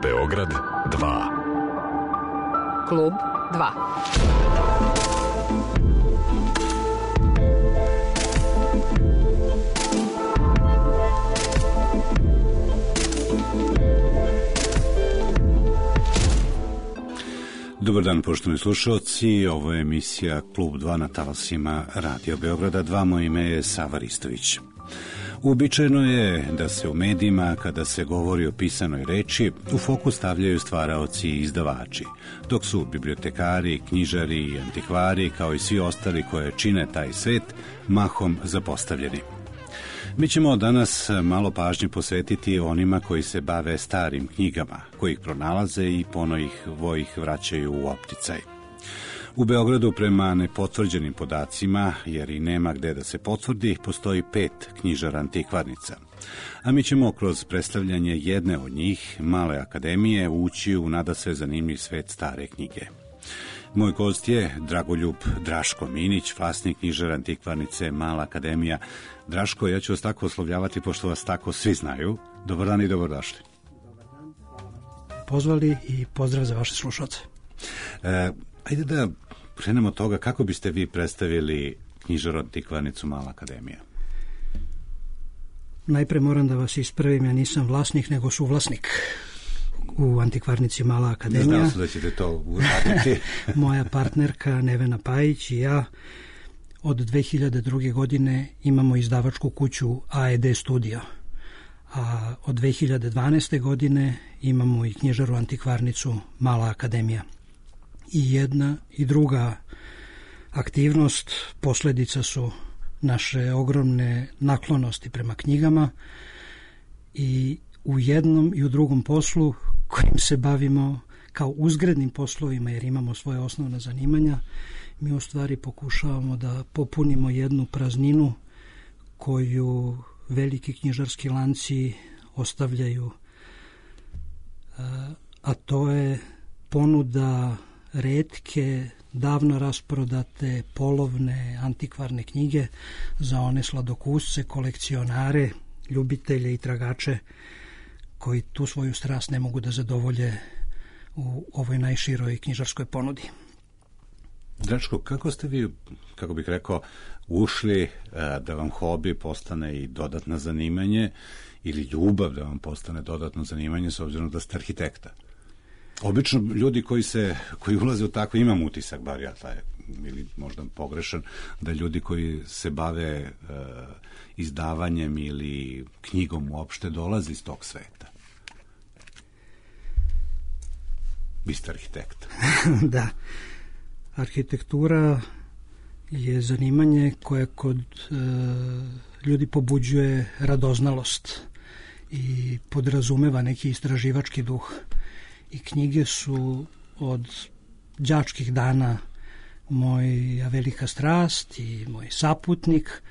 Beograd 2. Klub 2. Dobar dan, poštovani slušalci. Ovo je emisija Klub 2 na talasima Radio Beograda 2. Moje ime je Sava Ristović. Uobičajeno je da se u medijima, kada se govori o pisanoj reči, u fokus stavljaju stvaraoci i izdavači, dok su bibliotekari, knjižari i antikvari, kao i svi ostali koje čine taj svet, mahom zapostavljeni. Mi ćemo danas malo pažnje posvetiti onima koji se bave starim knjigama, koji ih pronalaze i ponovo ih vraćaju u opticaj. U Beogradu, prema nepotvrđenim podacima, jer i nema gde da se potvrdi, postoji 5 knjižara antikvarnica. A mi ćemo kroz predstavljanje jedne od njih, Male akademije, ući u nadasve zanimljiv svet stare knjige. Moj gost je Dragoljub Draško Minić, vlasnik knjižara antikvarnice Mala akademija. Draško, ja ću vas tako oslovljavati, pošto vas tako svi znaju. Dobar dan i dobrodošli. Dobar dan, pozvali i pozdrav za vaše slušalce. Ajde da krenemo od toga, kako biste vi predstavili knjižaru antikvarnicu Mala akademija? Najpre moram da vas ispravim, ja nisam vlasnik, nego suvlasnik u antikvarnici Mala akademija. Znao sam da ćete to uraditi. Moja partnerka Nevena Pajić i ja od 2002. godine imamo izdavačku kuću AED Studio, a od 2012. godine imamo i knjižaru antikvarnicu Mala akademija. I jedna i druga aktivnost posljedica su naše ogromne naklonosti prema knjigama i u jednom i u drugom poslu kojim se bavimo kao uzgrednim poslovima, jer imamo svoje osnovna zanimanja, mi u stvari pokušavamo da popunimo jednu prazninu koju veliki knjižarski lanci ostavljaju, a to je ponuda retke, davno rasprodate, polovne, antikvarne knjige za one sladokusce, kolekcionare, ljubitelje i tragače koji tu svoju strast ne mogu da zadovolje u ovoj najširoj knjižarskoj ponudi. Draško, kako ste vi, kako bih rekao, ušli da vam hobi postane i dodatno zanimanje ili ljubav da vam postane dodatno zanimanje, s obzirom da ste arhitekta? Obično ljudi koji ulaze u takve, imam utisak, bar ja taj, ili možda pogrešan, da ljudi koji se bave izdavanjem ili knjigom uopšte dolaze iz tog sveta. Vi ste arhitekta. Da. Arhitektura je zanimanje koje kod ljudi pobuđuje radoznalost i podrazumeva neki istraživački duh. I knjige su od đačkih dana moja velika strast i moj saputnik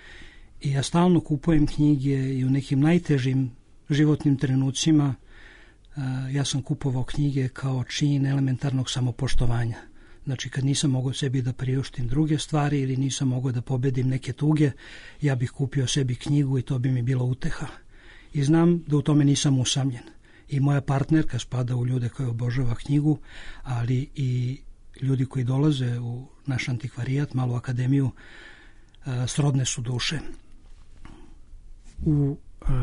i ja stalno kupujem knjige i u nekim najtežim životnim trenucima ja sam kupovao knjige kao čin elementarnog samopoštovanja. Znači, kad nisam mogao sebi da priuštim druge stvari ili nisam mogao da pobedim neke tuge, ja bih kupio sebi knjigu i to bi mi bilo uteha. I znam da u tome nisam usamljen. I moja partnerka spada u ljude koji obožava knjigu, ali i ljudi koji dolaze u naš antikvarijat, Malu akademiju, srodne su duše. U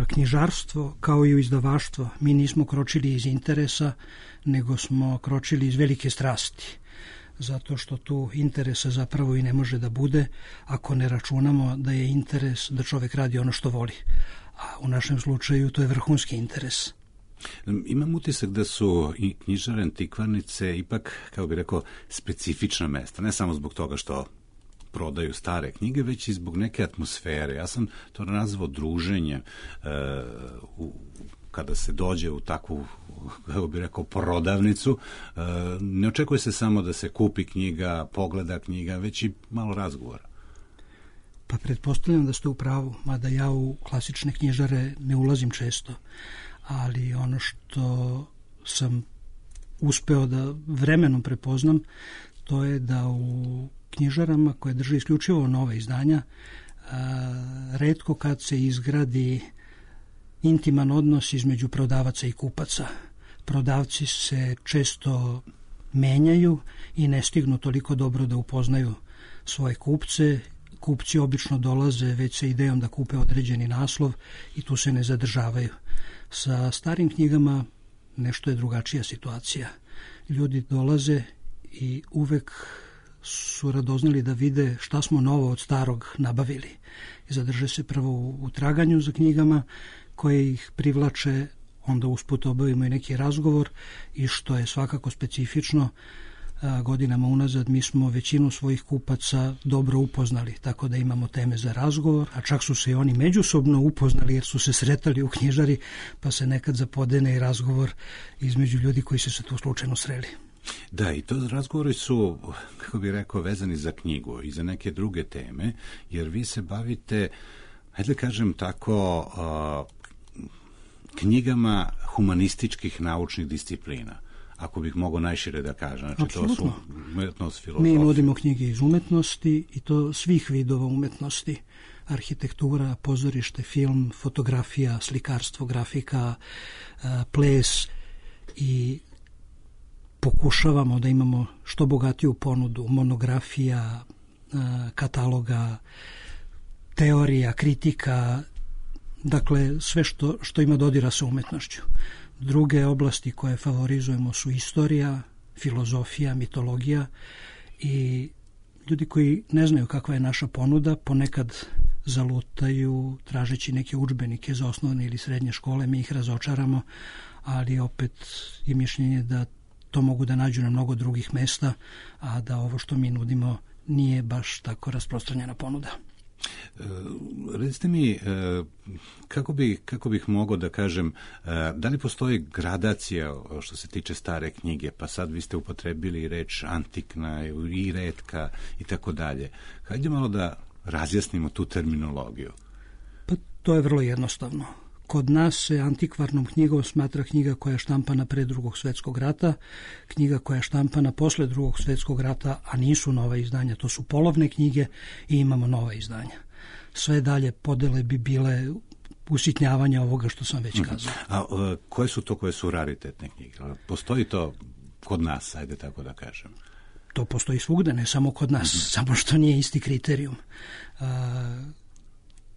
knjižarstvo, kao i u izdavaštvo, mi nismo kročili iz interesa, nego smo kročili iz velike strasti. Zato što tu interesa zapravo i ne može da bude ako ne računamo da je interes da čovek radi ono što voli. A u našem slučaju to je vrhunski interes. Imam utisak da su i knjižare antikvarnice ipak, kako bih rekao, specifična mesta. Ne samo zbog toga što prodaju stare knjige, već i zbog neke atmosfere. Ja sam to nazvao druženje kada se dođe u takvu, kako bih rekao, prodavnicu. Ne očekuje se samo da se kupi knjiga, pogleda knjiga, već i malo razgovora. Pa pretpostavljam da ste u pravu, mada ja u klasične knjižare ne ulazim često, ali ono što sam uspeo da vremenom prepoznam, to je da u knjižarama koje drže isključivo nove izdanja, retko kad se izgradi intiman odnos između prodavaca i kupaca. prodavci se često menjaju i ne stignu toliko dobro da upoznaju svoje kupce. Kupci obično dolaze već sa idejom da kupe određeni naslov i tu se ne zadržavaju. Sa starim knjigama nešto je drugačija situacija. Ljudi dolaze i uvek su radoznali da vide šta smo novo od starog nabavili. Zadrže se prvo u traganju za knjigama koje ih privlače, onda usput obavimo i neki razgovor i što je svakako specifično, godinama unazad mi smo većinu svojih kupaca dobro upoznali, tako da imamo teme za razgovor, a čak su se i oni međusobno upoznali jer su se sretali u knjižari, pa se nekad zapodene i razgovor između ljudi koji su se tu slučajno sreli. Da, i to razgovori su, kako bih rekao, vezani za knjigu i za neke druge teme, jer vi se bavite, hajde kažem tako, knjigama humanističkih naučnih disciplina, ako bih mogao najšire da kažem. Znači, apsolutno. To su umetnost, filozofija. Mi nudimo knjige iz umetnosti i to svih vidova umetnosti. Arhitektura, pozorište, film, fotografija, slikarstvo, grafika, ples i pokušavamo da imamo što bogatiju ponudu monografija, kataloga, teorija, kritika, dakle sve što ima dodira sa umetnošću. Druge oblasti koje favorizujemo su istorija, filozofija, mitologija i ljudi koji ne znaju kakva je naša ponuda ponekad zalutaju tražeći neke udžbenike za osnovne ili srednje škole, mi ih razočaramo, ali opet je mišljenje da to mogu da nađu na mnogo drugih mesta, a da ovo što mi nudimo nije baš tako rasprostranjena ponuda. Recite mi, kako bih mogao da kažem, da li postoji gradacija što se tiče stare knjige, pa sad vi ste upotrebili reč antikna i retka i tako dalje. Hajde malo da razjasnimo tu terminologiju. Pa to je vrlo jednostavno. Kod nas se antikvarnom knjigom smatra knjiga koja je štampana pre Drugog svjetskog rata, knjiga koja je štampana posle Drugog svjetskog rata, a nisu nova izdanja, to su polovne knjige i imamo nova izdanja. Sve dalje podele bi bile usitnjavanja ovoga što sam već kazao. A koje su to koje su raritetne knjige? Postoji to kod nas, ajde tako da kažem? To postoji svugde, ne samo kod nas, samo što nije isti kriterijum.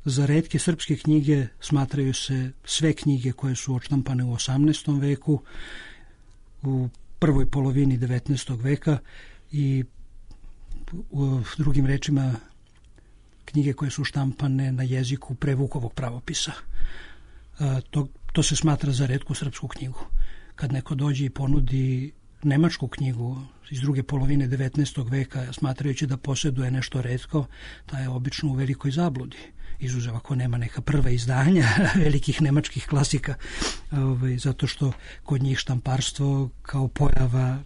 Za retke srpske knjige smatraju se sve knjige koje su odštampane u 18. veku, u prvoj polovini 19. veka i u drugim rečima knjige koje su štampane na jeziku pre Vukovog pravopisa. To se smatra za retku srpsku knjigu. Kad neko dođe i ponudi nemačku knjigu iz druge polovine 19. veka, smatrajući da posjeduje nešto retko, ta je obično u velikoj zabludi. Izuzev ako nema neka prva izdanja velikih nemačkih klasika, zato što kod njih štamparstvo kao pojava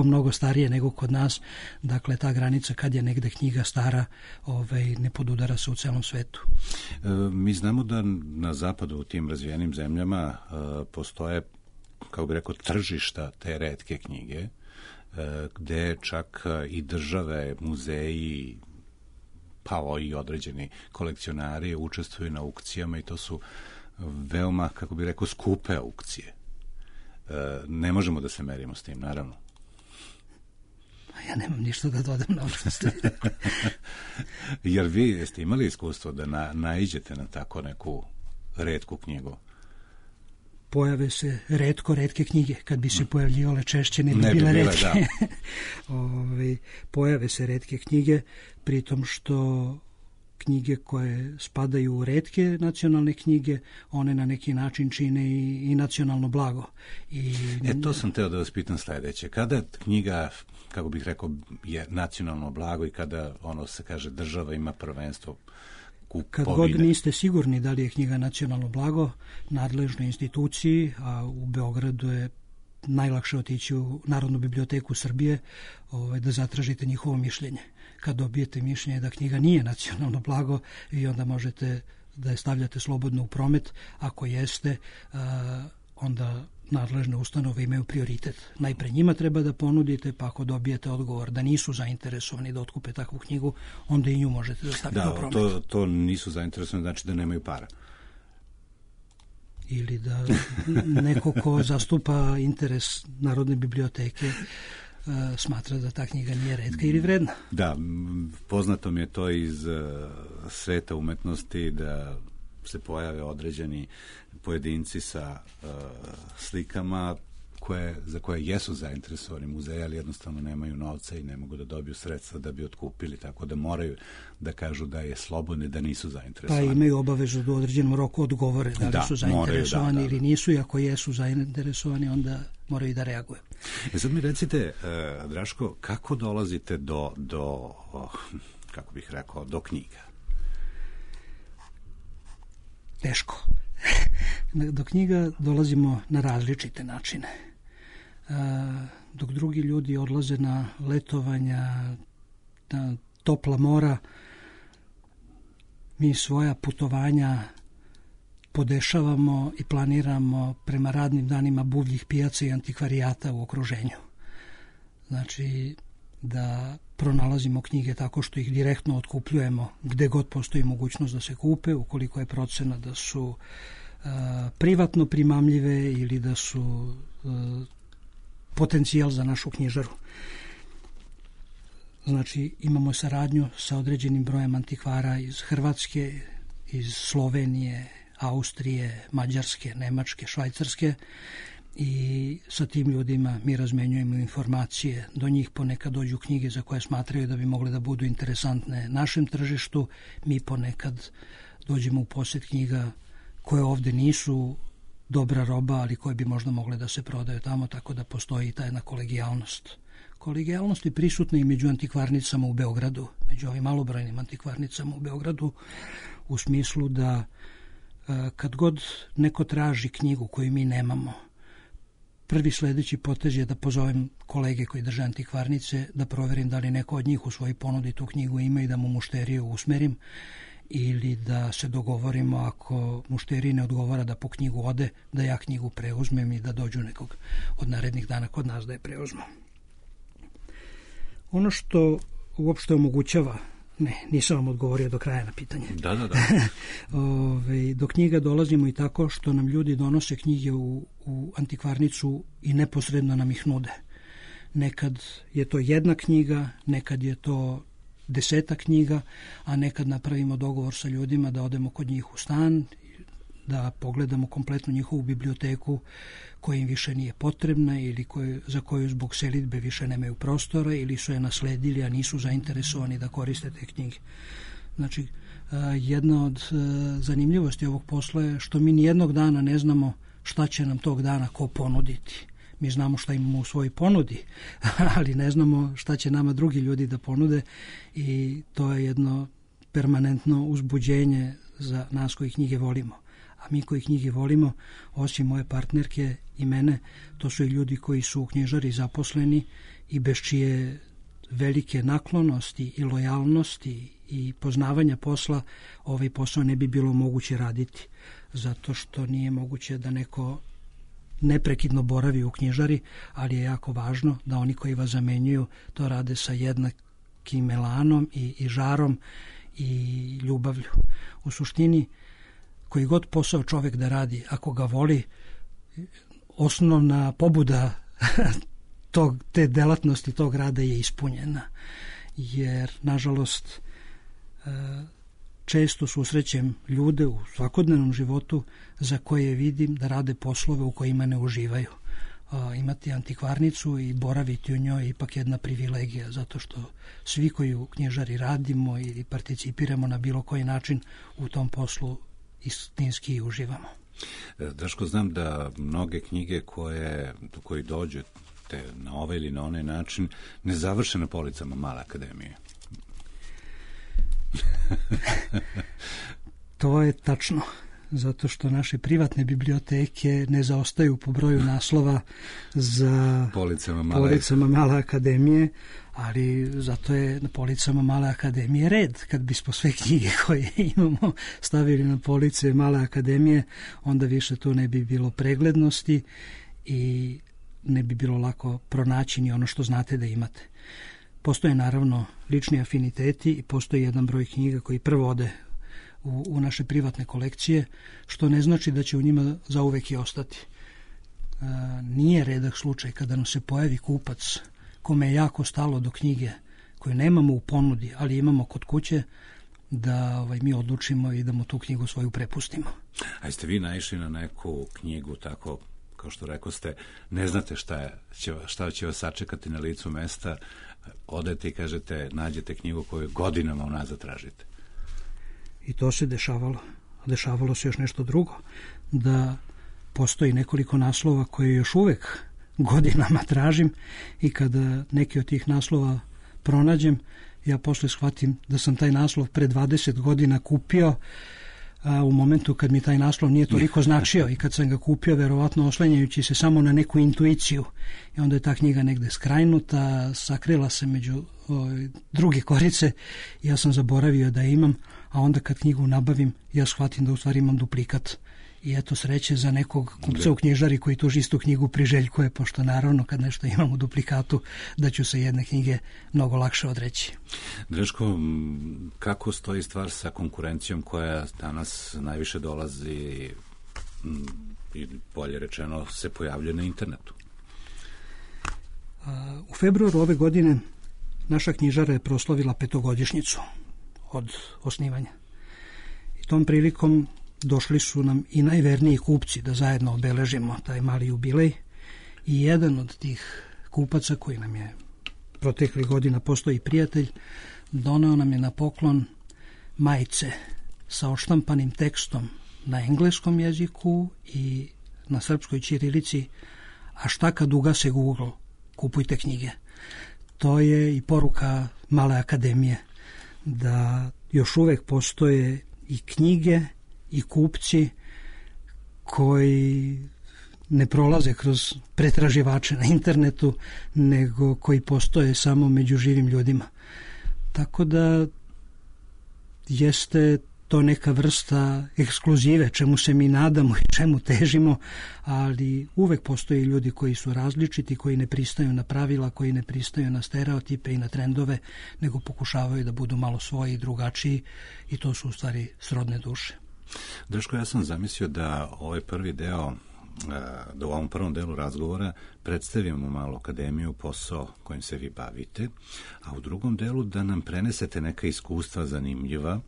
mnogo starije nego kod nas, dakle ta granica kad je negde knjiga stara ne podudara se u celom svetu. Mi znamo da na zapadu u tim razvijenim zemljama postoje, kako bi rekao, tržišta te retke knjige, gde čak i države, muzeji, pa i određeni kolekcionari učestvuju na aukcijama i to su veoma, kako bih rekao, skupe aukcije. Ne možemo da se merimo s tim, naravno. Ja nemam ništa da dodam na ovo što ste rekli. Jer vi jeste imali iskustvo da naiđete na tako neku retku knjigu? Pojave se retke knjige. Kad bi se pojavljivale češće, ne bi bile retke. Pojave se retke knjige, pritom što knjige koje spadaju u retke nacionalne knjige, one na neki način čine i nacionalno blago. To sam teo da vas pitam sledeće. Kada knjiga, kako bih rekao, je nacionalno blago i kada, se kaže, država ima prvenstvo? Kad god niste sigurni da li je knjiga nacionalno blago, nadležnoj instituciji, a u Beogradu je najlakše otići u Narodnu biblioteku Srbije da zatražite njihovo mišljenje. Kad dobijete mišljenje da knjiga nije nacionalno blago, vi onda možete da je stavljate slobodno u promet. Ako jeste, onda nadležne ustanove imaju prioritet. Najpre njima treba da ponudite, pa ako dobijete odgovor da nisu zainteresovani da otkupe takvu knjigu, onda i nju možete da stavite u promet. To nisu zainteresovani, znači da nemaju para. ili da neko ko zastupa interes Narodne biblioteke smatra da ta knjiga nije retka ili vredna. Da, poznato mi je to iz sveta umetnosti da se pojave određeni pojedinci sa slikama za koje jesu zainteresovani muzeji, ali jednostavno nemaju novca i ne mogu da dobiju sredstva da bi otkupili, tako da moraju da kažu da je slobodno, da nisu zainteresovani. Pa imaju obavezu da u određenom roku odgovore da li su zainteresovani ili nisu, i ako jesu zainteresovani, onda moraju i da reaguju. Sad mi recite, Draško, kako dolazite do kako bih rekao, do knjiga? Teško. Do knjiga dolazimo na različite načine. Dok drugi ljudi odlaze na letovanja, na topla mora, mi svoja putovanja podešavamo i planiramo prema radnim danima buvljih pijaca i antikvarijata u okruženju. Znači, da pronalazimo knjige tako što ih direktno otkupljujemo gde god postoji mogućnost da se kupe, ukoliko je procena da su privatno primamljive ili da su potencijal za našu knjižaru. Znači, imamo saradnju sa određenim brojem antikvara iz Hrvatske, iz Slovenije, Austrije, Mađarske, Nemačke, Švajcarske, i sa tim ljudima mi razmenjujemo informacije. Do njih ponekad dođu knjige za koje smatraju da bi mogle da budu interesantne našem tržištu. Mi ponekad dođemo u posjed knjiga koje ovde nisu dobra roba, ali koje bi možda mogle da se prodaju tamo, tako da postoji ta jedna kolegijalnost. Kolegijalnost je prisutna i među antikvarnicama u Beogradu, među ovim malobrojnim antikvarnicama u Beogradu, u smislu da kad god neko traži knjigu koju mi nemamo, prvi sledeći potez je da pozovem kolege koji drže antikvarnice, da proverim da li neko od njih u svojoj ponudi tu knjigu ima i da mu mušteriju usmerim, ili da se dogovorimo, ako mušteriji ne odgovara da po knjigu ode, da ja knjigu preuzmem i da dođu nekog od narednih dana kod nas da je preuzmu. Ono što uopšte omogućava, nisam vam odgovorio do kraja na pitanje. Da. Do knjiga dolazimo i tako što nam ljudi donose knjige u antikvarnicu i neposredno nam ih nude. Nekad je to jedna knjiga, nekad je to 10 knjiga, a nekad napravimo dogovor sa ljudima da odemo kod njih u stan, da pogledamo kompletnu njihovu biblioteku koja im više nije potrebna ili za koju zbog selidbe više nemaju prostora ili su je nasledili, a nisu zainteresovani da koriste te knjige. Znači, jedna od zanimljivosti ovog posla je što mi nijednog dana ne znamo šta će nam tog dana ko ponuditi. Mi znamo šta imamo u svojoj ponudi, ali ne znamo šta će nama drugi ljudi da ponude, i to je jedno permanentno uzbuđenje za nas koji knjige volimo. A mi koji knjige volimo, osim moje partnerke i mene, to su i ljudi koji su u knjižari zaposleni i bez čije velike naklonosti i lojalnosti i poznavanja posla ovaj posao ne bi bilo moguće raditi, zato što nije moguće da neko neprekidno boravi u knjižari, ali je jako važno da oni koji vas zamenjuju to rade sa jednakim elanom i žarom i ljubavlju. U suštini, koji god posao čovek da radi, ako ga voli, osnovna pobuda te delatnosti, tog rada je ispunjena. Jer, nažalost, često susrećem ljude u svakodnevnom životu za koje vidim da rade poslove u kojima ne uživaju. Imati antikvarnicu i boraviti u njoj je ipak jedna privilegija, zato što svi koji u knjižari radimo ili participiramo na bilo koji način u tom poslu istinski uživamo. Daško, znam da mnoge knjige koji dođete na ovaj ili na onaj način ne završe na policama Male akademije. To je tačno, zato što naše privatne biblioteke ne zaostaju po broju naslova za policama Male akademije, ali zato je na policama Male akademije red. Kad bismo sve knjige koje imamo stavili na police Male akademije, onda više tu ne bi bilo preglednosti i ne bi bilo lako pronaći ni ono što znate da imate. Postoje naravno lični afiniteti i postoji jedan broj knjiga koji prvo ode u naše privatne kolekcije, što ne znači da će u njima zauvek i ostati. Nije redak slučaj kada nam se pojavi kupac kome je jako stalo do knjige koju nemamo u ponudi, ali imamo kod kuće, da mi odlučimo i da mu tu knjigu svoju prepustimo. A jeste vi naišli na neku knjigu tako, kao što rekoste, ne znate šta će vas sačekati na licu mesta, odete i kažete, nađete knjigu koju godinama unazad tražite? I to se dešavalo. Dešavalo se još nešto drugo, da postoji nekoliko naslova koje još uvek godinama tražim i kada neki od tih naslova pronađem, ja posle shvatim da sam taj naslov pre 20 godina kupio, a u momentu kad mi taj naslov nije toliko značio i kad sam ga kupio, verovatno oslanjajući se samo na neku intuiciju, i onda je ta knjiga negde skrajnuta, sakrila se među druge korice, ja sam zaboravio da je imam, a onda kad knjigu nabavim, ja shvatim da u stvari imam duplikat. I eto sreće za nekog kupca u knjižari koji tuži istu knjigu priželjkuje, pošto naravno kad nešto imam u duplikatu, da ću se jedne knjige mnogo lakše odreći. Draško, kako stoji stvar sa konkurencijom koja danas najviše dolazi i bolje rečeno se pojavljuje na internetu? U februaru ove godine naša knjižara je proslavila 5-godišnjicu od osnivanja. I tom prilikom došli su nam i najverniji kupci da zajedno obeležimo taj mali jubilej, i jedan od tih kupaca koji nam je proteklih godina postoji prijatelj, doneo nam je na poklon majice sa odštampanim tekstom na engleskom jeziku i na srpskoj ćirilici, a šta kad ugase Google, kupujte knjige. To je i poruka Male akademije, da još uvek postoje i knjige i kupci koji ne prolaze kroz pretraživače na internetu, nego koji postoje samo među živim ljudima. Tako da jeste to neka vrsta ekskluzive, čemu se mi nadamo i čemu težimo, ali uvek postoje ljudi koji su različiti, koji ne pristaju na pravila, koji ne pristaju na stereotipe i na trendove, nego pokušavaju da budu malo svoji i drugačiji, i to su u stvari srodne duše. Draško, ja sam zamislio da ovaj prvi deo, da u ovom prvom delu razgovora predstavimo malo akademiju, posao kojim se vi bavite, a u drugom delu da nam prenesete neka iskustva zanimljiva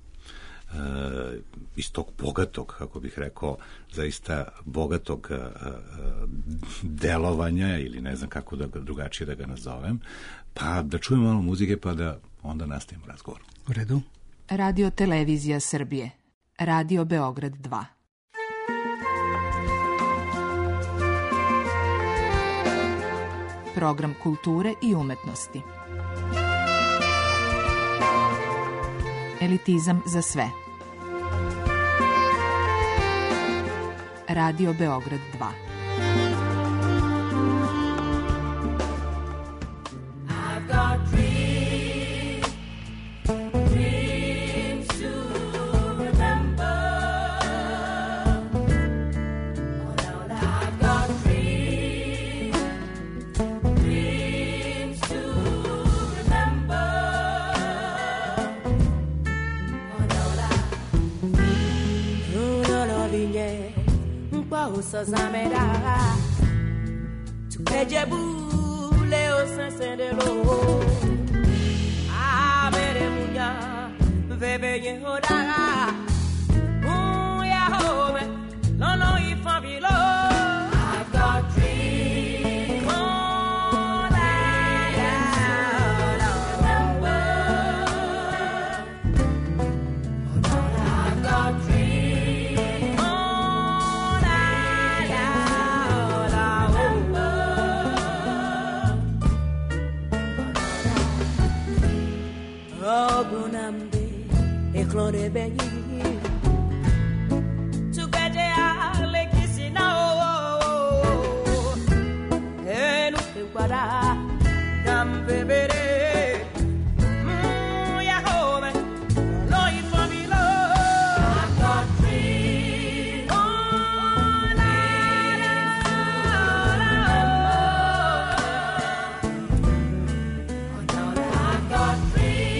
iz tog bogatog, kako bih rekao, zaista bogatog delovanja, ili ne znam kako da drugačije da ga nazovem, pa da čujemo malo muzike pa da onda nastavimo razgovor. U redu. Radio Televizija Srbije. Radio Beograd 2. Program kulture i umetnosti. Elitizam za sve. Radio Beograd 2. Zamera tu peje bule o sensendelo a mere munya veve yehoda ya home no no ifabilo. I've got dreams all I remember. I've got dreams Clore benyi Tukeje ale kisina Enu kwada Dambebere Ya home No ifamilo. I've got dreams all I've got dreams.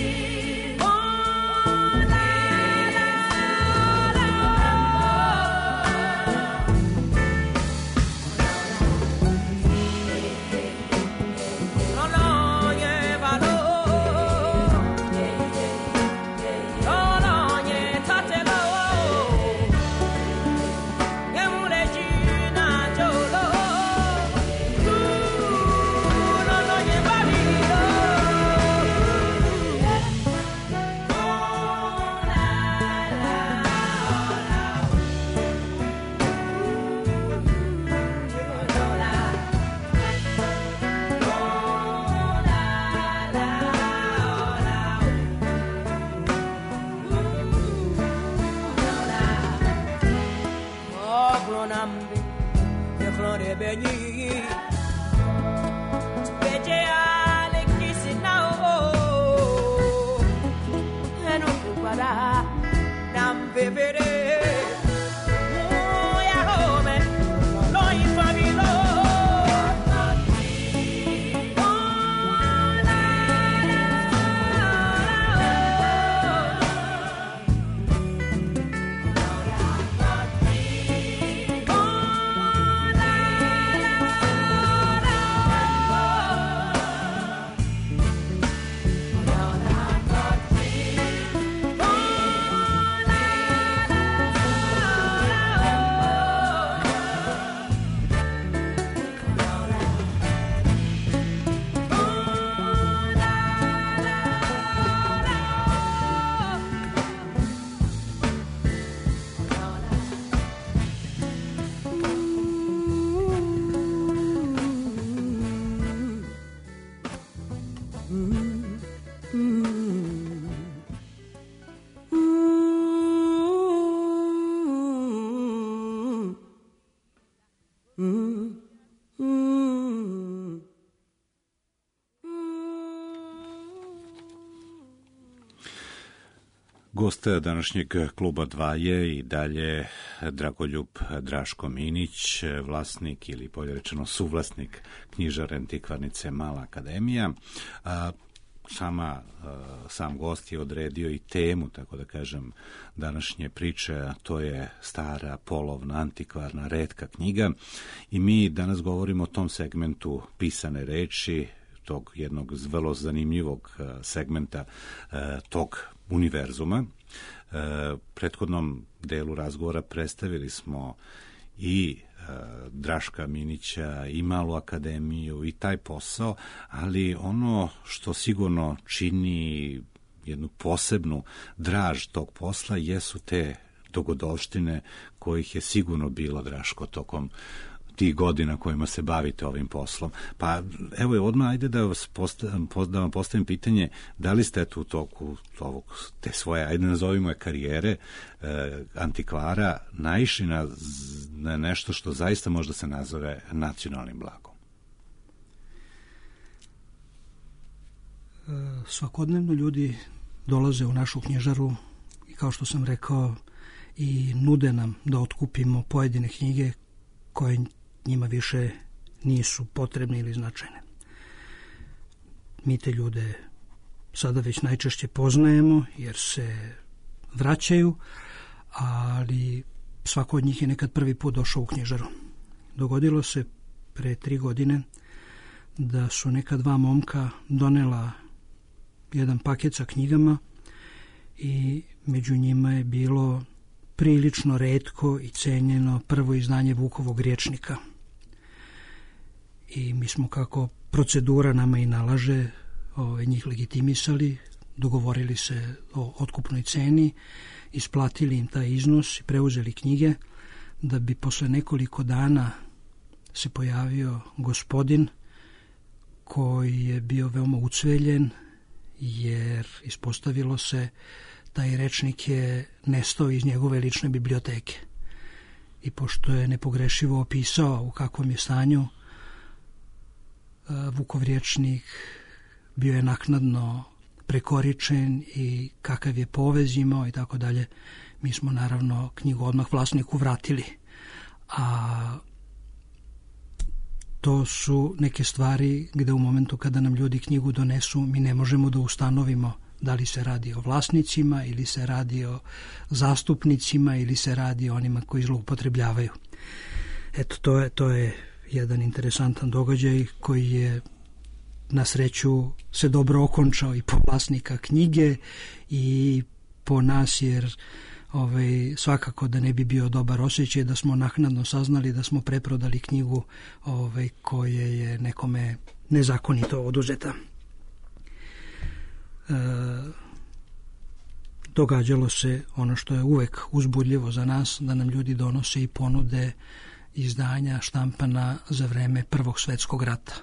Gost današnjeg Kluba 2 je i dalje Dragoljub Draško Minić, vlasnik ili bolje rečeno suvlasnik knjižare antikvarnice Mala akademija. Sam gost je odredio i temu, tako da kažem, današnje priče, a to je stara, polovna, antikvarna, retka knjiga. I mi danas govorimo o tom segmentu pisane reči, tog jednog vrlo zanimljivog segmenta tog univerzuma. Prethodnom delu razgovora predstavili smo i Draška Minića i Malu akademiju i taj posao, ali ono što sigurno čini jednu posebnu draž tog posla jesu te dogodovštine kojih je sigurno bilo, Draško, tokom tih godina kojima se bavite ovim poslom. Pa evo odmah ajde da vam postavim pitanje, da li ste u toku te svoje, ajde nazovimo je karijere antikvara, naišli na nešto što zaista možda se nazove nacionalnim blagom? Svakodnevno ljudi dolaze u našu knjižaru i, kao što sam rekao, i nude nam da otkupimo pojedine knjige koje njima više nisu potrebne ili značajne. Mi te ljude sada već najčešće poznajemo jer se vraćaju, ali svako od njih je nekad prvi put došao u knjižaru. Dogodilo se pre 3 godine da su neka 2 momka donela jedan paket sa knjigama i među njima je bilo prilično retko i cenjeno prvo izdanje Vukovog rječnika. I mi smo, kako procedura nama i nalaže, njih legitimisali, dogovorili se o otkupnoj ceni, isplatili im taj iznos i preuzeli knjige, da bi posle nekoliko dana se pojavio gospodin koji je bio veoma ucveljen, jer ispostavilo se taj rečnik je nestao iz njegove lične biblioteke. I pošto je nepogrešivo opisao u kakvom je stanju Vukov rječnik, bio je naknadno prekoričen i kakav je povez imao i tako dalje, mi smo naravno knjigu odmah vlasniku vratili. A to su neke stvari gde u momentu kada nam ljudi knjigu donesu, mi ne možemo da ustanovimo da li se radi o vlasnicima ili se radi o zastupnicima ili se radi o onima koji zloupotrebljavaju. Eto, to je jedan interesantan događaj koji je na sreću se dobro okončao i po vlasnika knjige i po nas, jer svakako da ne bi bio dobar osjećaj da smo naknadno saznali da smo preprodali knjigu koje je nekome nezakonito oduzeta. Događalo se ono što je uvek uzbudljivo za nas, da nam ljudi donose i ponude izdanja štampana za vreme Prvog svetskog rata.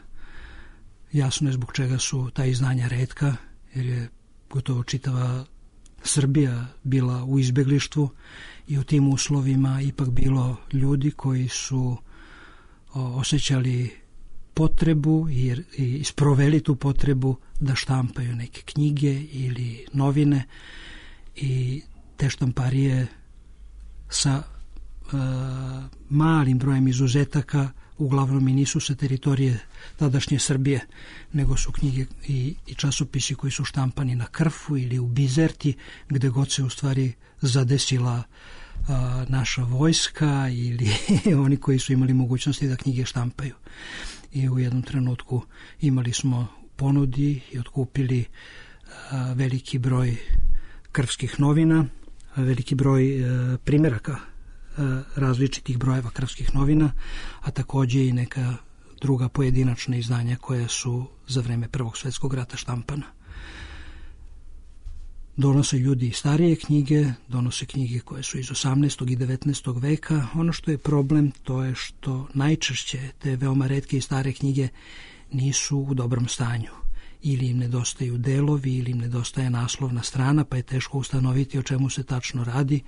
Jasno je zbog čega su ta izdanja retka, jer je gotovo čitava Srbija bila u izbeglištvu i u tim uslovima ipak bilo ljudi koji su osjećali potrebu i sproveli tu potrebu da štampaju neke knjige ili novine, i te štamparije sa malim brojem izuzetaka uglavnom i nisu sa teritorije tadašnje Srbije, nego su knjige i časopisi koji su štampani na Krfu ili u Bizerti, gde god se u stvari zadesila naša vojska ili oni koji su imali mogućnosti da knjige štampaju. I u jednom trenutku imali smo ponudi i otkupili veliki broj krfskih novina, veliki broj primjeraka različitih brojeva krfskih novina, a takođe i neka druga pojedinačna izdanja koja su za vreme Prvog svjetskog rata štampana. Donose ljudi starije knjige, donose knjige koje su iz 18. i 19. veka. Ono što je problem, to je što najčešće te veoma retke i stare knjige nisu u dobrom stanju. Ili im nedostaju delovi, ili im nedostaje naslovna strana, pa je teško ustanoviti o čemu se tačno radi,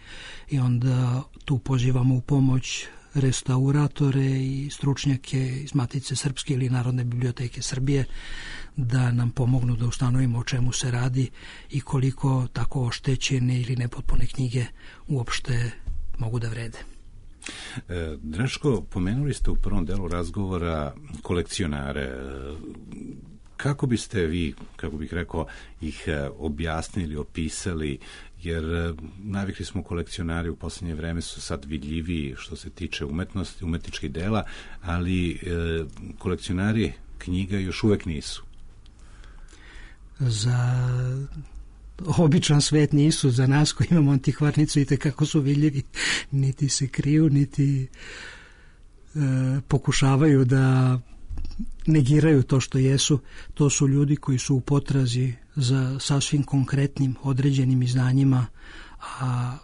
i onda tu pozivamo u pomoć restauratore i stručnjake iz Matice Srpske ili Narodne biblioteke Srbije da nam pomognu da ustanovimo o čemu se radi i koliko tako oštećene ili nepotpune knjige uopšte mogu da vrede. Draško, pomenuli ste u prvom delu razgovora kolekcionare. Kako biste vi, kako bih rekao, ih objasnili, opisali, jer navikli smo kolekcionari u posljednje vreme su sad vidljiviji što se tiče umetnosti, umetničkih dela, ali kolekcionari knjiga još uvek nisu. Za običan svet nisu, za nas koji imamo antikvarnicu i tekako su vidljivi, niti se kriju, niti pokušavaju da negiraju to što jesu. To su ljudi koji su u potrazi za sasvim konkretnim određenim izdanjima, a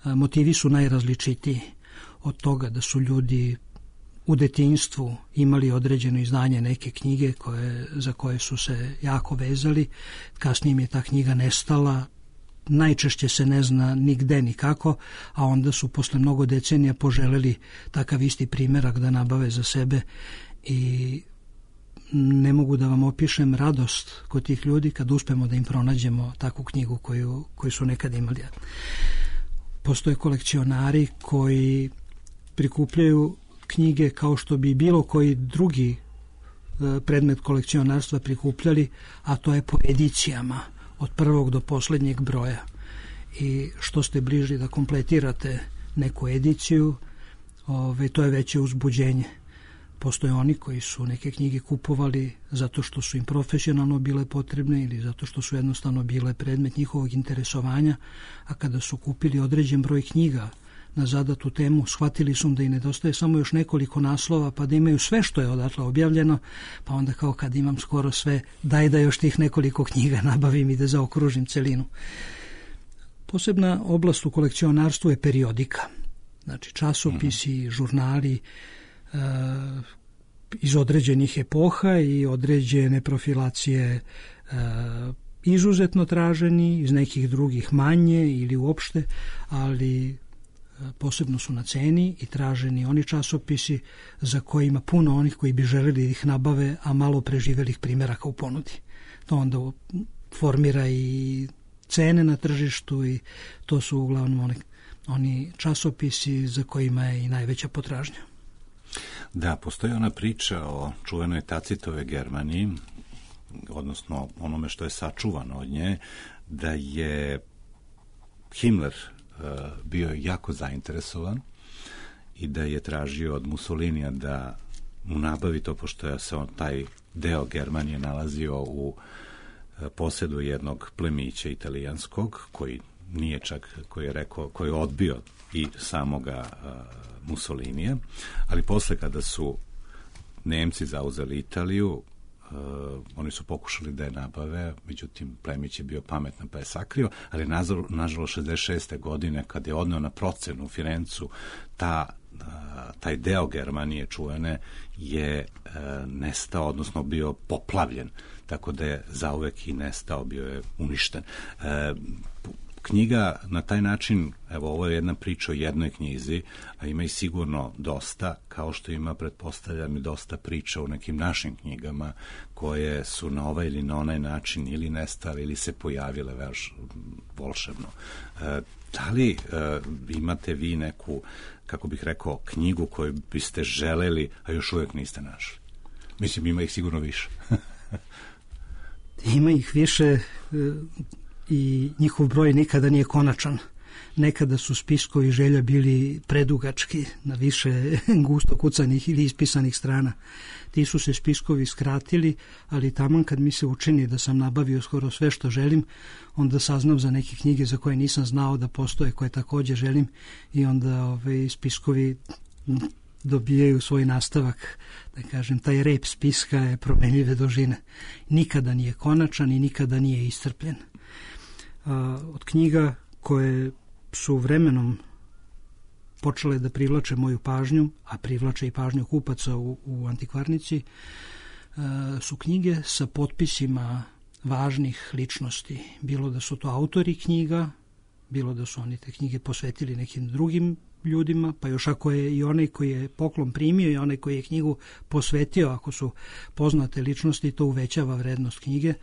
motivi su najrazličitiji, od toga da su ljudi u detinjstvu imali određeno izdanje neke knjige za koje su se jako vezali, kasnije im je ta knjiga nestala, najčešće se ne zna nigde nikako, a onda su posle mnogo decenija poželeli takav isti primjerak da nabave za sebe, i ne mogu da vam opišem radost kod tih ljudi kad uspemo da im pronađemo takvu knjigu koju su nekad imali. Postoje kolekcionari koji prikupljaju knjige kao što bi bilo koji drugi predmet kolekcionarstva prikupljali, a to je po edicijama od prvog do posljednjeg broja. I što ste bliži da kompletirate neku ediciju, to je veće uzbuđenje. Postoje oni koji su neke knjige kupovali zato što su im profesionalno bile potrebne ili zato što su jednostavno bile predmet njihovog interesovanja, a kada su kupili određen broj knjiga na zadatu temu, shvatili su da im nedostaje samo još nekoliko naslova, pa da imaju sve što je odatle objavljeno, pa onda kao kad imam skoro sve, daj da još tih nekoliko knjiga nabavim i da zaokružim celinu. Posebna oblast u kolekcionarstvu je periodika. Znači časopisi, žurnali iz određenih epoha i određene profilacije izuzetno traženi, iz nekih drugih manje ili uopšte, ali posebno su na ceni i traženi oni časopisi za koje ima puno onih koji bi želeli da ih nabave, a malo preživelih primjeraka u ponudi. To onda formira i cene na tržištu, i to su uglavnom oni časopisi za kojima je i najveća potražnja. Da, postoji ona priča o čuvenoj Tacitove Germaniji, odnosno onome što je sačuvano od nje, da je Himmler bio jako zainteresovan i da je tražio od Mussolinija da mu nabavi to, pošto se taj deo Germanije nalazio u posedu jednog plemića italijanskog, koji nije čak, koji je odbio i samoga Mussolinija, ali posle kada su Nemci zauzeli Italiju, oni su pokušali da je nabave, međutim plemić je bio pametan pa je sakrio, ali nažalost 66. godine kad je odneo na procenu u Firencu, taj deo Germanije čuvene je nestao, odnosno bio poplavljen, tako da je zauvek i nestao, bio je uništen. Knjiga na taj način Evo, ovo je jedna priča o jednoj knjizi, a ima i sigurno dosta, kao što ima, pretpostavljam, i dosta priča u nekim našim knjigama koje su na ovaj ili na onaj način ili nestale ili se pojavile volšebno. Da li imate vi neku, kako bih rekao, knjigu koju biste želeli, a još uvijek niste našli? Mislim, ima ih sigurno više. Ima ih više i njihov broj nikada nije konačan. Nekada su spiskovi želja bili predugački, na više gusto kucanih ili ispisanih strana. Ti su se spiskovi skratili, ali taman kad mi se učini da sam nabavio skoro sve što želim, onda saznam za neke knjige za koje nisam znao da postoje, koje također želim, i onda spiskovi dobijaju svoj nastavak. Da kažem, taj rep spiska je promenljive dužine. Nikada nije konačan i nikada nije iscrpljen. Od knjiga koje su vremenom počele da privlače moju pažnju, a privlače i pažnju kupaca u antikvarnici, su knjige sa potpisima važnih ličnosti. Bilo da su to autori knjiga, bilo da su oni te knjige posvetili nekim drugim ljudima, pa još ako je i onaj koji je poklon primio i onaj koji je knjigu posvetio, ako su poznate ličnosti, to uvećava vrednost knjige,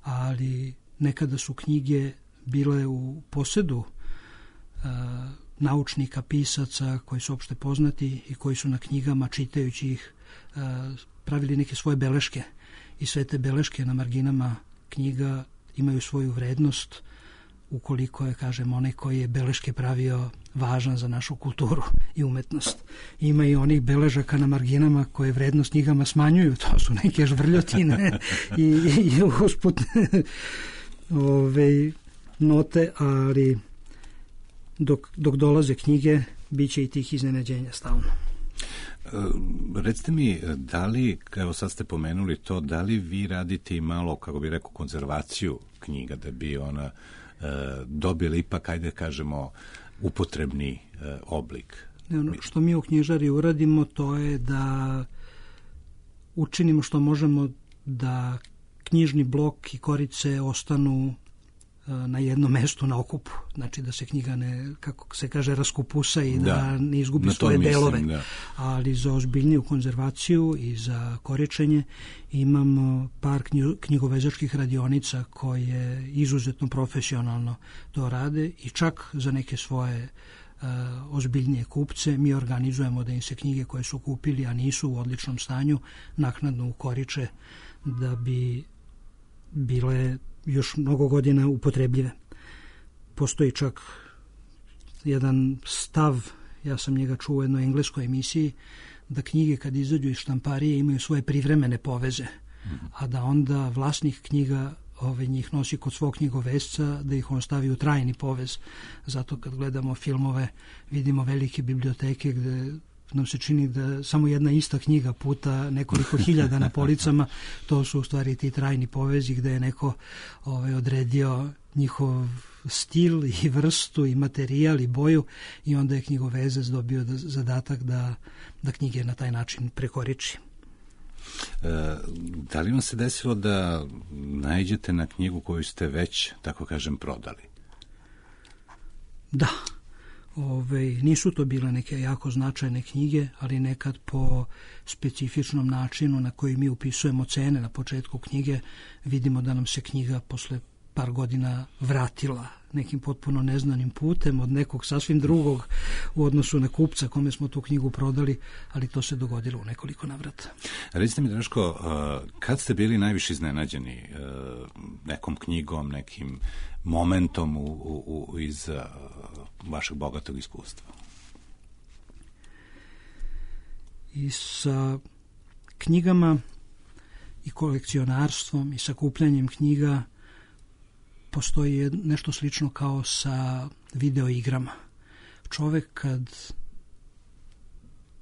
ali nekada su knjige bile u posedu naučnika, pisaca koji su opšte poznati i koji su na knjigama, čitajući ih, pravili neke svoje beleške, i sve te beleške na marginama knjiga imaju svoju vrednost ukoliko je, kažem, onaj koji je beleške pravio važan za našu kulturu i umetnost. Ima i onih beležaka na marginama koje vrednost knjigama smanjuju, to su neke žvrljotine i usputne note, ali dok dolaze knjige, bit će i tih iznenađenja stalno. Recite mi, da li, evo sad ste pomenuli to, da li vi radite i malo, kako bi rekao, konzervaciju knjiga, da bi ona dobila ipak, ajde kažemo, upotrebni oblik? Ono što mi u knjižari uradimo, to je da učinimo što možemo da knjižni blok i korice ostanu na jednom mestu na okupu. Znači da se knjiga ne, kako se kaže, raskupusa i da ne izgubi svoje delove. Da. Ali za ozbiljniju konzervaciju i za koričenje imamo par knjigovezačkih radionica koje izuzetno profesionalno to rade, i čak za neke svoje ozbiljnije kupce mi organizujemo da im se knjige koje su kupili, a nisu u odličnom stanju, naknadno ukoriče da bi bile još mnogo godina upotrebljive. Postoji čak jedan stav, ja sam njega čuo u jednoj engleskoj emisiji, da knjige kad izađu iz štamparije imaju svoje privremene poveze, a da onda vlasnik knjiga njih nosi kod svog knjigovesca, da ih on stavi u trajni povez. Zato kad gledamo filmove vidimo velike biblioteke gde nam se čini da samo jedna ista knjiga puta nekoliko hiljada na policama, to su u stvari ti trajni povezi gde je neko odredio njihov stil i vrstu i materijal i boju, i onda je knjigovezac dobio zadatak da knjige na taj način prekoriči. Da li vam se desilo da naiđete na knjigu koju ste već, tako kažem, prodali? Da. Nisu to bile neke jako značajne knjige, ali nekad po specifičnom načinu na koji mi upisujemo cene na početku knjige, vidimo da nam se knjiga posle par godina vratila nekim potpuno neznanim putem od nekog sasvim drugog u odnosu na kupca kome smo tu knjigu prodali, ali to se dogodilo u nekoliko navrata. Recite mi, Draško, kad ste bili najviše iznenađeni nekom knjigom, nekim momentom iz vašeg bogatog iskustva? I sa knjigama i kolekcionarstvom i sakupljanjem knjiga postoji nešto slično kao sa video igrama. Čovek kad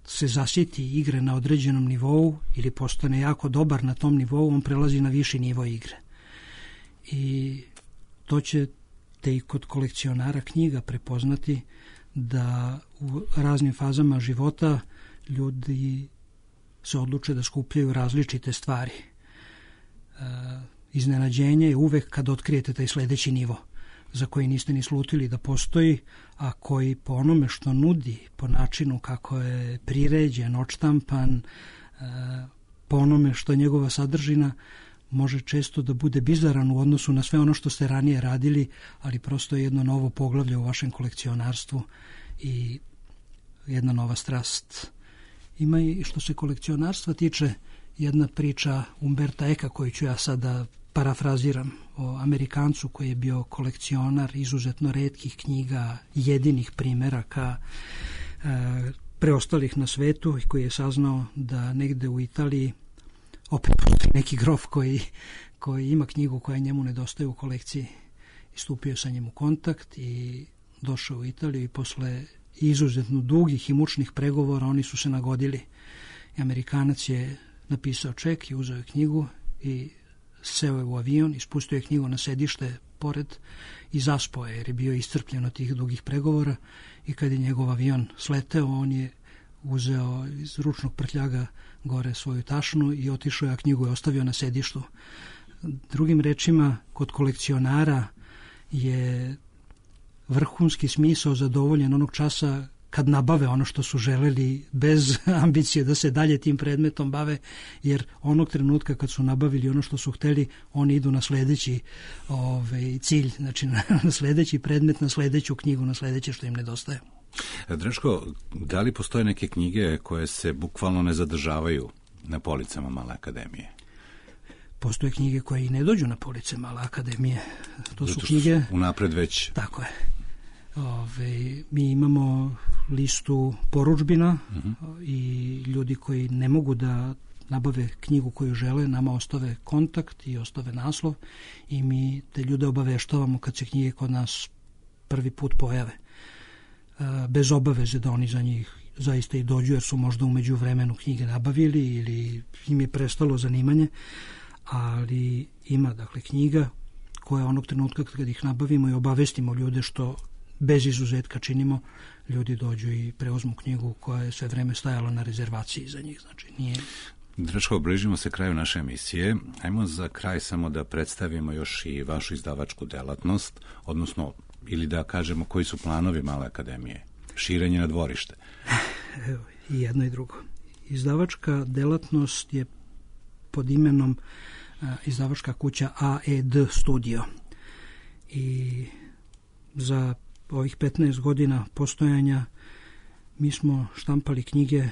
se zasjeti igre na određenom nivou ili postane jako dobar na tom nivou, on prelazi na viši nivo igre. I to ćete i kod kolekcionara knjiga prepoznati, da u raznim fazama života ljudi se odluče da skupljaju različite stvari. Iznenađenje je uvek kad otkrijete taj sledeći nivo. za koji niste ni slutili da postoji, a koji po onome što nudi, po načinu kako je priređen, odštampan, po onome što je njegova sadržina, može često da bude bizaran u odnosu na sve ono što ste ranije radili, ali prosto je jedno novo poglavlje u vašem kolekcionarstvu i jedna nova strast. Ima i što se kolekcionarstva tiče jedna priča Umberta Eka koju ću ja sada parafraziram, o Amerikancu koji je bio kolekcionar izuzetno retkih knjiga, jedinih primeraka preostalih na svetu i koji je saznao da negde u Italiji opet postoji neki grof koji ima knjigu koja njemu nedostaje u kolekciji. Istupio sa njim u kontakt i došao u Italiju i posle izuzetno dugih i mučnih pregovora oni su se nagodili. I Amerikanac je napisao ček i uzeo je knjigu i seo je u avion, ispustio je knjigu na sedište pored i zaspao je jer je bio iscrpljen od tih dugih pregovora i kad je njegov avion sleteo, on je uzeo iz ručnog prtljaga gore svoju tašnu i otišao je, a knjigu je ostavio na sedištu. Drugim rečima, kod kolekcionara je vrhunski smisao zadovoljen onog časa kad nabave ono što su želeli bez ambicije da se dalje tim predmetom bave, jer onog trenutka kad su nabavili ono što su hteli, oni idu na sledeći cilj, znači na sledeći predmet, na sledeću knjigu, na sledeće što im nedostaje. Draško, da li postoje neke knjige koje se bukvalno ne zadržavaju na policama Male akademije? Postoje knjige koje i ne dođu na police Male akademije. To zato su knjige... Unapred već... Tako je. Mi imamo listu porudžbina i ljudi koji ne mogu da nabave knjigu koju žele, nama ostave kontakt i ostave naslov i mi te ljude obaveštavamo kad se knjige kod nas prvi put pojave. Bez obaveze da oni za njih zaista i dođu, jer su možda umeđu vremenu knjige nabavili ili im je prestalo zanimanje, ali ima dakle knjiga koje onog trenutka kad ih nabavimo i obavestimo ljude, što bez izuzetka činimo, ljudi dođu i preuzmu knjigu koja je sve vreme stajala na rezervaciji za njih. Znači nije... Draško, bližimo se kraju naše emisije. Ajmo za kraj samo da predstavimo još i vašu izdavačku delatnost, odnosno, ili da kažemo koji su planovi Male akademije. Širenje na dvorište. Evo, i jedno i drugo. Izdavačka delatnost je pod imenom izdavačka kuća AED Studio. I za ovih 15 godina postojanja mi smo štampali knjige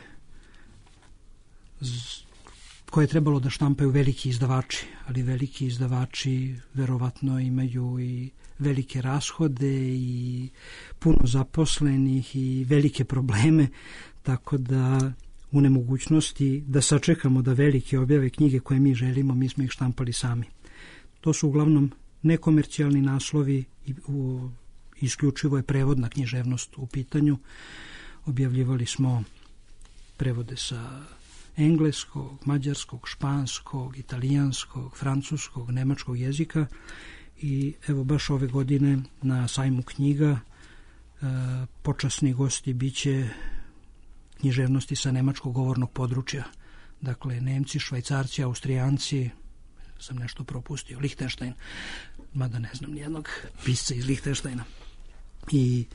koje je trebalo da štampaju veliki izdavači, ali veliki izdavači verovatno imaju i velike rashode i puno zaposlenih i velike probleme, tako da u nemogućnosti da sačekamo da veliki objave knjige koje mi želimo, mi smo ih štampali sami. To su uglavnom nekomercijalni naslovi i isključivo je prevodna književnost u pitanju. Objavljivali smo prevode sa engleskog, mađarskog, španskog, italijanskog, francuskog, nemačkog jezika i evo baš ove godine na sajmu knjiga počasni gosti biće književnosti sa nemačkog govornog područja. Dakle, Nemci, Švajcarci, Austrijanci, sam nešto propustio, Lihtenštajn, mada ne znam nijednog pisca iz Lihtenštajna. I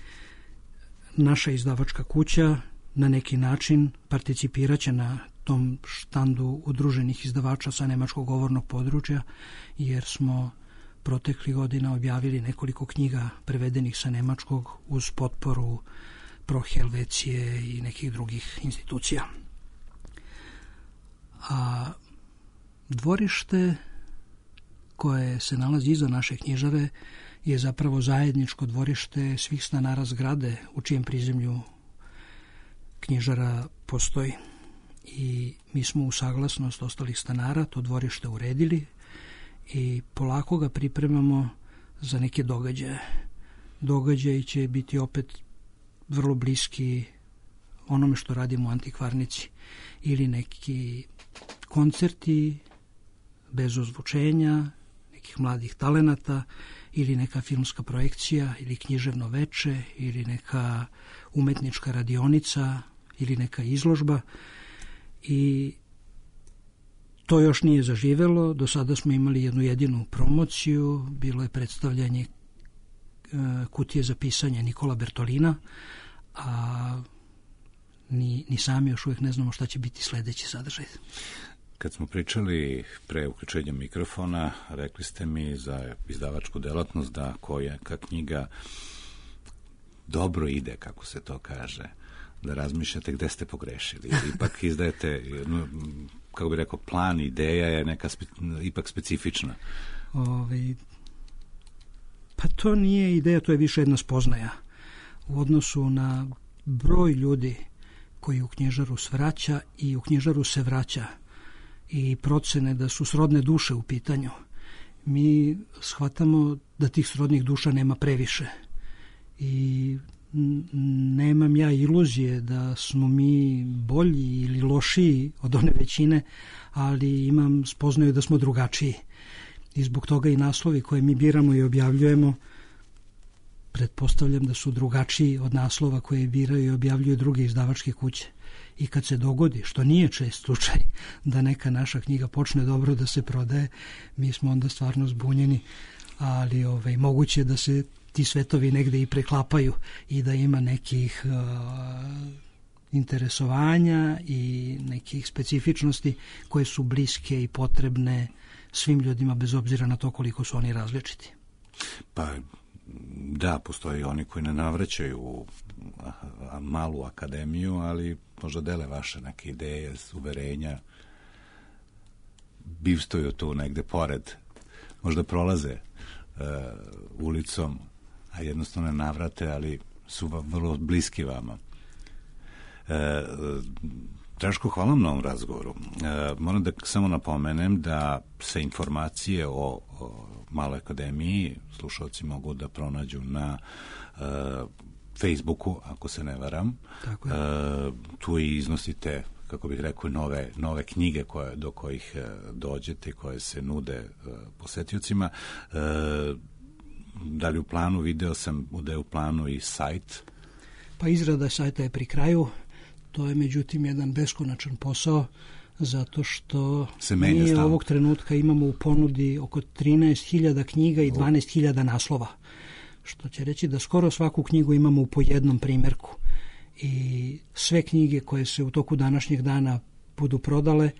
naša izdavačka kuća na neki način participiraće na tom štandu udruženih izdavača sa nemačkog govornog područja, jer smo proteklih godina objavili nekoliko knjiga prevedenih sa nemačkog uz potporu Pro Helvecije i nekih drugih institucija. A dvorište koje se nalazi iza naše knjižare je zapravo zajedničko dvorište svih stanara zgrade u čijem prizemlju knjižara postoji. I mi smo u saglasnost ostalih stanara to dvorište uredili i polako ga pripremamo za neke događaje. Događaji će biti opet vrlo bliski onome što radimo u Antikvarnici, ili neki koncerti bez ozvučenja, nekih mladih talenata, ili neka filmska projekcija, ili književno veče, ili neka umetnička radionica, ili neka izložba. I to još nije zaživelo. Do sada smo imali jednu jedinu promociju, bilo je predstavljanje kutije za pisanje Nikola Bertolina, a ni sami još uvijek ne znamo šta će biti sledeći sadržaj. Kad smo pričali pre uključenja mikrofona, rekli ste mi za izdavačku delatnost da koja knjiga dobro ide, kako se to kaže, da razmišljate gde ste pogrešili. Ipak izdajete, kako bi rekao, plan, ideja je neka ipak specifična. Pa to nije ideja, to je više jedna spoznaja. U odnosu na broj ljudi koji u knjižaru svraća i u knjižaru se vraća i procene da su srodne duše u pitanju, mi shvatamo da tih srodnih duša nema previše. I nemam ja iluzije da smo mi bolji ili lošiji od one većine, ali imam spoznaju da smo drugačiji. I zbog toga i naslovi koje mi biramo i objavljujemo, pretpostavljam da su drugačiji od naslova koje biraju i objavljuju druge izdavačke kuće. I kad se dogodi, što nije čest slučaj, da neka naša knjiga počne dobro da se prodaje, mi smo onda stvarno zbunjeni, ali moguće da se ti svetovi negde i preklapaju i da ima nekih interesovanja i nekih specifičnosti koje su bliske i potrebne svim ljudima bez obzira na to koliko su oni različiti. Pa da, postoje oni koji ne navraćaju u malu akademiju, ali možda dele vaše neke ideje, uverenja, bivstaju tu negde pored, možda prolaze ulicom, a jednostavno ne navrate, ali su vrlo bliski vama. Draško, hvala vam na ovom razgovoru. Moram da samo napomenem da se informacije o Maloj akademiji slušalci mogu da pronađu na Facebooku, ako se ne varam. Tako je. Tu i iznosite, kako bih rekao, nove knjige do kojih dođete, koje se nude posetiocima. Da li u planu, video sam da je u planu i sajt? Pa izrada sajta je pri kraju. To je međutim jedan beskonačan posao, zato što mi ovog trenutka imamo u ponudi oko 13.000 knjiga i 12.000 naslova. Što će reći da skoro svaku knjigu imamo po jednom primjerku. I sve knjige koje se u toku današnjeg dana budu prodale,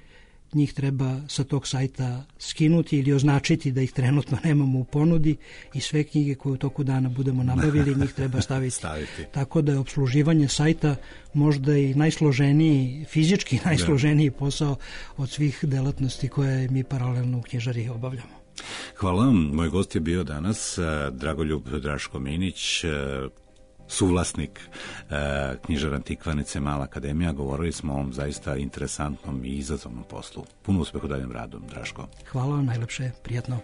njih treba sa tog sajta skinuti ili označiti da ih trenutno nemamo u ponudi i sve knjige koje u toku dana budemo nabavili, njih treba staviti. Tako da je opsluživanje sajta možda i najsloženiji, fizički najsloženiji posao od svih delatnosti koje mi paralelno u knjižari obavljamo. Hvala vam. Moj gost je bio danas Dragoljub Draško Minić, suvlasnik knjižara Antikvanice Mala akademija. Govorili smo o ovom zaista interesantnom i izazovnom poslu. Puno uspeha u daljem radu, Draško. Hvala vam, najlepše, prijatno.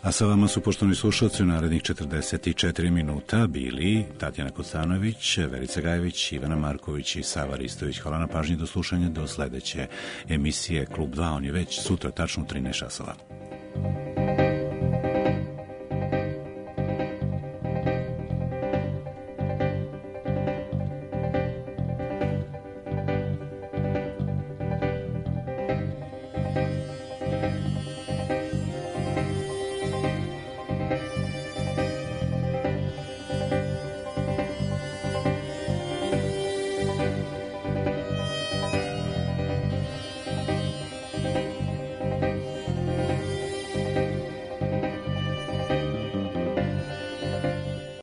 A sa vama su, poštovani slušalci, u narednih 44 minuta bili Tatjana Kocanović, Verica Gajević, Ivana Marković i Sava Ristović. Hvala na pažnji, do slušanja, do sledeće emisije Klub 2. On je već sutra, tačno u 13 časova.